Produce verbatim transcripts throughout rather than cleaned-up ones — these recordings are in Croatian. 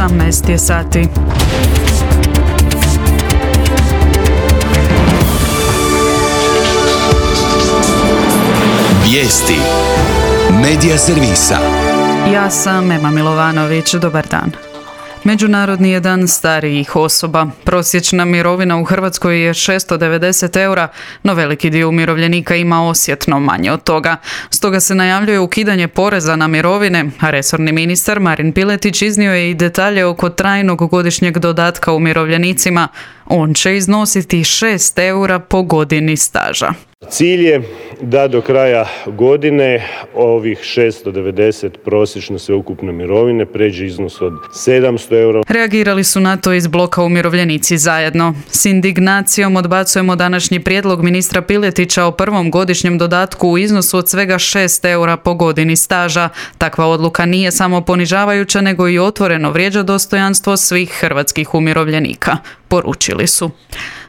osamnaest je sati. Vijesti Medija servisa. Ja sam Ema Milovanović, dobar dan. Međunarodni je dan starijih osoba. Prosječna mirovina u Hrvatskoj je šesto devedeset eura, no veliki dio umirovljenika ima osjetno manje od toga. Stoga se najavljuje ukidanje poreza na mirovine, a resorni ministar Marin Piletić iznio je i detalje oko trajnog godišnjeg dodatka umirovljenicima. On će iznositi šest eura po godini staža. Cilj je da do kraja godine ovih šesto devedeset prosječno sveukupne mirovine pređe iznos od sedamsto eura. Reagirali su na to iz bloka Umirovljenici zajedno. S indignacijom odbacujemo današnji prijedlog ministra Piletića o prvom godišnjem dodatku u iznosu od svega šest eura po godini staža. Takva odluka nije samo ponižavajuća, nego i otvoreno vrijeđa dostojanstvo svih hrvatskih umirovljenika, poručili su.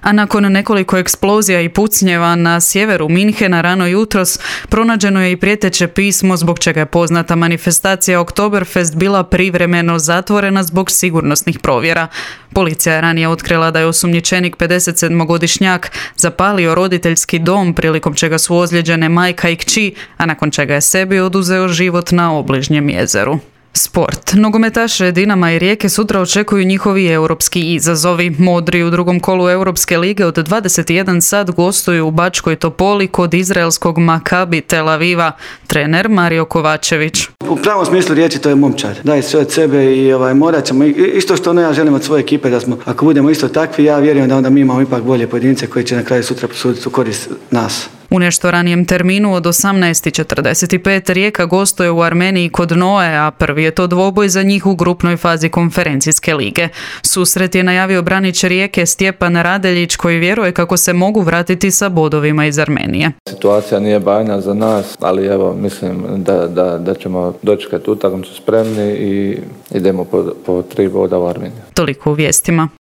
A nakon nekoliko eksplozija i pucnjeva na sjeveru Minhena rano jutros pronađeno je i prijeteće pismo zbog čega je poznata manifestacija Oktoberfest bila privremeno zatvorena zbog sigurnosnih provjera. Policija je ranije otkrila da je osumnjičenik pedesetsedmogodišnjak zapalio roditeljski dom prilikom čega su ozlijeđene majka i kći, a nakon čega je sebi oduzeo život na obližnjem jezeru. Sport. Nogometaše Dinama i Rijeke sutra očekuju njihovi europski izazovi. Modri u drugom kolu Europske lige od dvadeset jedan sat gostuju u Bačkoj Topoli kod izraelskog Makabi Tel Aviva. Trener Mario Kovačević. U pravom smislu riječi to je momčad. Daje sve od sebe i ovaj, morat ćemo, isto što ono ja želim od svoje ekipe, da smo, ako budemo isto takvi, ja vjerujem da onda mi imamo ipak bolje pojedince koji će na kraju sutra posuditi u korist nas. U nešto ranijem terminu od osamnaest i četrdeset pet Rijeka gostuje u Armeniji kod Noe, a prvi je to dvoboj za njih u grupnoj fazi konferencijske lige. Susret je najavio branič Rijeke Stjepan Radeljić, koji vjeruje kako se mogu vratiti sa bodovima iz Armenije. Situacija nije bajna za nas, ali evo mislim da, da, da ćemo dočekati utakmicu spremni i idemo po, po tri boda u Armeniju. Toliko u vijestima.